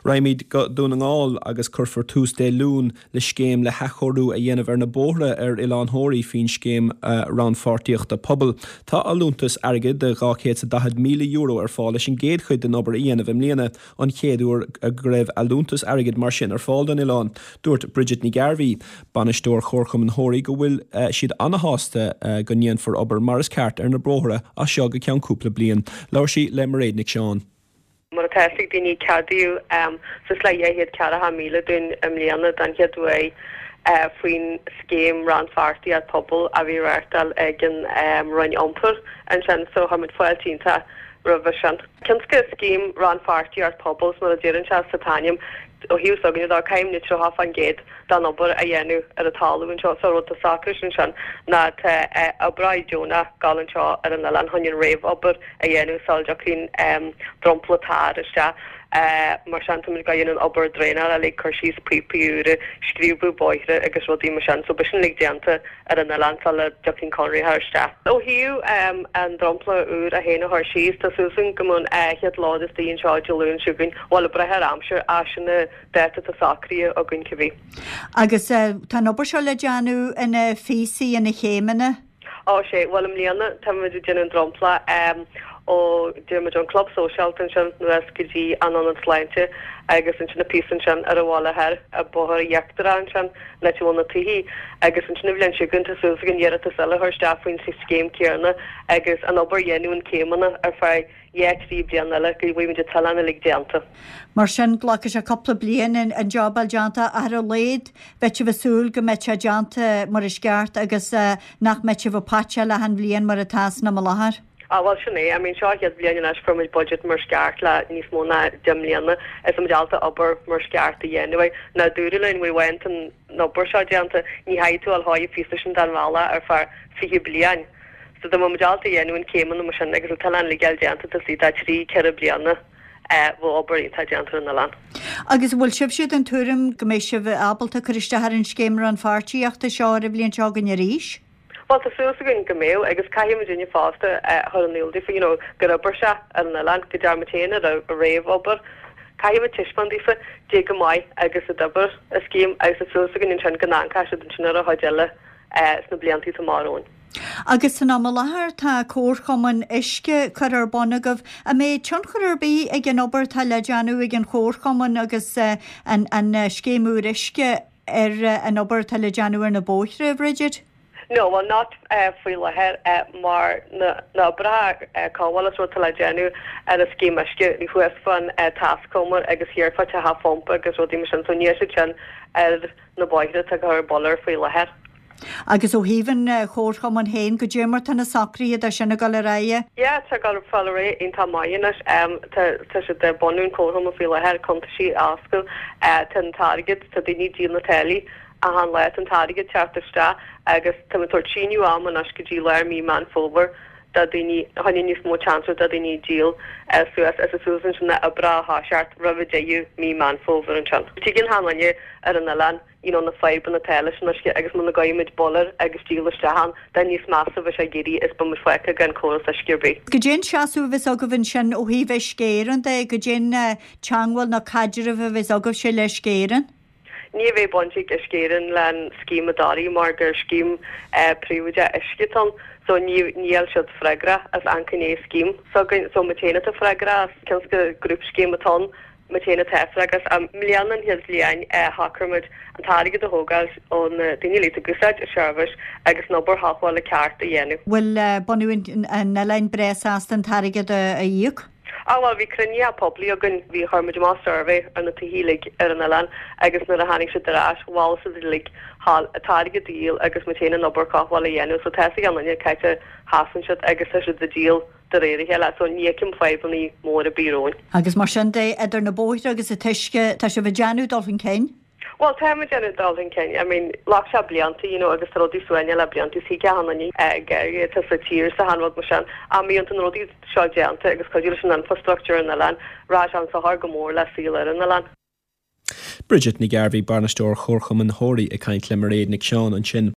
Raghaimid go Dún na nGall agus cuirfear tús Dé Luain le scéim le hathchóiriú a dhéanamh ar na bóithre ar Oileán Thóraí faoin Scéim Rannpháirtíochta Pobail. Tá allúntas airgid de €240,000 ar fáil leis an gcéad chuid den obair a dhéanamh i mbliana, an chéad uair go raibh allúntas airgid mar sin ar fáil don oileán. Dúirt Bridget Ní Ghairbhí, Bainisteoir Chomharchumann Thóraí go bhfuil siad ana-shásta go ndéanfar obair mar is ceart ar na bóithre as seo go ceann cúpla bliain. Labhair sí le Mairéad Nic Seáin. Mar atá fhios ag daoine, ceadaíodh suas le 240,000 dúinn i mbliana den chéad uair faoin scéim rannpháirtíocht pobail a bhí reáchtáil ag an Roinn Iompair ansin so tá muid fáilte iontach roimhe sin. Cionn is gur scéim rannpháirtíocht pobail is mar a deireann sé sa t-ainm ó thaobh s'againne de caithfimid 30% den obair a dhéanamh ar an talamh anseo so rud atá socraithe ansin ná tá oibreoirí deonach ag gabháil anseo ar an oileán chun an réamhobair a dhéanamh sula dtiocfaidh dromchla tar isteach. Mar sin táimid ag déanamh an obair draenála uilig, cur síos píopaí úra, scríobadh bóithre agus rudaí mar sin. So beidh sin uilig déanta ar an oileán sula dtiocfaidh conraitheoir isteach. Ó thaobh an dromchla úr é féin a chur síos, tá súil againn go mbeidh an chéad lód istigh anseo Dé Luain seo chugainn, bhuel ag brath ar aimsir, ach sin an dáta atá socraithe againn cibé. Agus tá an obair seo le déanamh ina phíosaí, ina chéimeanna? Ó sea, bhuel i mbliana táimid ag déanamh an dromchla ó déarfaidh muid ón Club Sóisialta ansin anuas go dtí an Ionad Sláinte agus ansin an píosa ansin ar an bhaile thoir, an bóthar íochtarach ansin, an áit a bhfuil na tithí agus ansin an bhliain seo chugainn tá súil againn iarratas eile a chur isteach faoin scéim céanna agus an obair a dhéanamh in céimeanna ar feadh 2, 3 bliana eile go bhfaighimid an t-oileán uilig déanta. Mar sin, glacfaidh sé cúpla bliain an job a fháil déanta ach ar a laghad bheadh sibh ag súil go mbeidh sé déanta mar is ceart agus nach mbeidh sibh ag patcháil achan bhliain mar atá san am i láthair. Ah bhuel sin é, I mean seo an chéad bhliain anois fuair muid budget mar is ceart le níos mó ná 10 mbliana is tá muid ábalta obair mar is ceart a dhéanamh. Ná dúradh linn uair amháin tá an obair seo déanta, ní chaithfidh tú a dhul thóigh phíosa sin den bhealach ar feadh 20 bliain. So dá mbeadh muid ábalta a dhéanamh in céimeanna mar sin agus an t-oileán uilig a fháil déanta taobh istigh de thrí, ceithre bliana bheadh obair iontach déanta ar an oileán. Agus an bhfuil sibhse den tuairim go mbeidh sibh ábalta cur isteach ar an scéim rannpháirtíochta seo ar an bhliain seo chugainn arís? Bhuel tá súil againn go mbeadh agus caithfidh muidinne fosta a chur in iúl daofa you know gur oibir sé ar an oileán, go ndearna muid féin an réamhobair. Caithfidh muid taispeáint daofa cé chomh maith agus a d'oibir an scéim agus tá súil againn ansin go n-amharcfaidh siad ansin ar an chuid eile sna blianta atá amach romhainn. Agus san am i láthair tá comharchumann uisce curtha ar bun agaibh. An mbeidh tionchar ar bith ag an obair atá le déanamh ag an chomharchumann agus an scéim úr uisce ar an obair atá le déanamh ar na bóithre, a Bhridget? No, well not faoi láthair mar na oibreacha cothabhála is rud atá le déanamh ar an scéim uisce thuas fán taiscumar agus thiar fá teach an phumpa agus rudaí mar sin so níl siad sin ar na bóithre atá ag cur buller faoi láthair. Agus ó thaobh an chomharchumainn féin, goidé mar tá na socruithe de sin ag dul ar aghaidh? Yeah, tá ag dul ar aghaidh iontach maith anois. Tá tá siad ag bunú an chomharchumainn faoi láthair, cuntaisí a oscailt. Tá an t-airgead, tá daoine ag díol na táillí achan lá, tá an t-airgead teacht isteach agus tá muid ag tabhairt síneadh ama anois go dtí lár mí Meán Fómhair do daoine, choinne níos mó chance do daoine díol suas is suas ansin na oibreacha a thoiseacht roimh deireadh mí Meán Fómhair ansin. Tuigeann achan duine ar an oileán you know na fadhbanna atá leis an uisce agus muna gcaithfidh muid buller agus díol isteach ann tá níos measa a bheidh sé ag éirí is beidh muid fágtha gan córas uisce ar bith. Goidé an seasamh a bheas agaibh ansin ó thaobh Uisce Éireann de, goidé an teangmháil nó caidreamh a bheas agaibhse le Uisce Éireann? Ní bheidh baint ag Uisce Éireann le an scéim i dToraigh mar gur scéim príobháideach uisce atá ann so ní níl siad freagrach as aon ghné scéim s'againn so muid féin atá freagrach as cionn is gur grúpscéim atá ann muid féin atá freagrach as. I mbliana an chéad bhliain shocraigh muid an t-airgead a thógáil ó na daoine uilig atá ag úsáid an seirbhís agus an obair chothabhála ceart a dhéanamh. Bhfuil bunadh an oileáin breá sásta an t-airgead a íoc? Á bhuel bhí cruinnithe poiblí againn, bhí, chuir muid amach suirbhé ar na tithe uilig ar an oileán agus nuair a tháinig siad ar ais mhol siad uilig an t-airgead a dhíol agus muid féin an obair cothabhála a dhéanamh so tá a fhios ag achan duine cá háit a sheasann siad agus tá siad ag díol de réir a chéile so ní fheicim fadhbanna móra ar bith romhainn. Agus mar sin de, idir na bóithre agus an t-uisce, tá sibh ag déanamh dul chun cinn? Bhuel, tá muid ag déanamh dul chun cinn. I mean, ghlac sé blianta, you know, agus tá rudaí suaimhneach le blianta, is thuig achan duine an géarchéim atá sa tír is achan rud mar sin. Ach má bhíonn na rudaí seo déanta agus cuidiú leis an infrastructure ar an oileán, rachaidh sé an sochar go mór le saol ar an oileán. Bridget Ní Ghairbhí, Bainisteoir Chomharchumann Thóraí ag caint le Mairéad Nic Seáin ansin.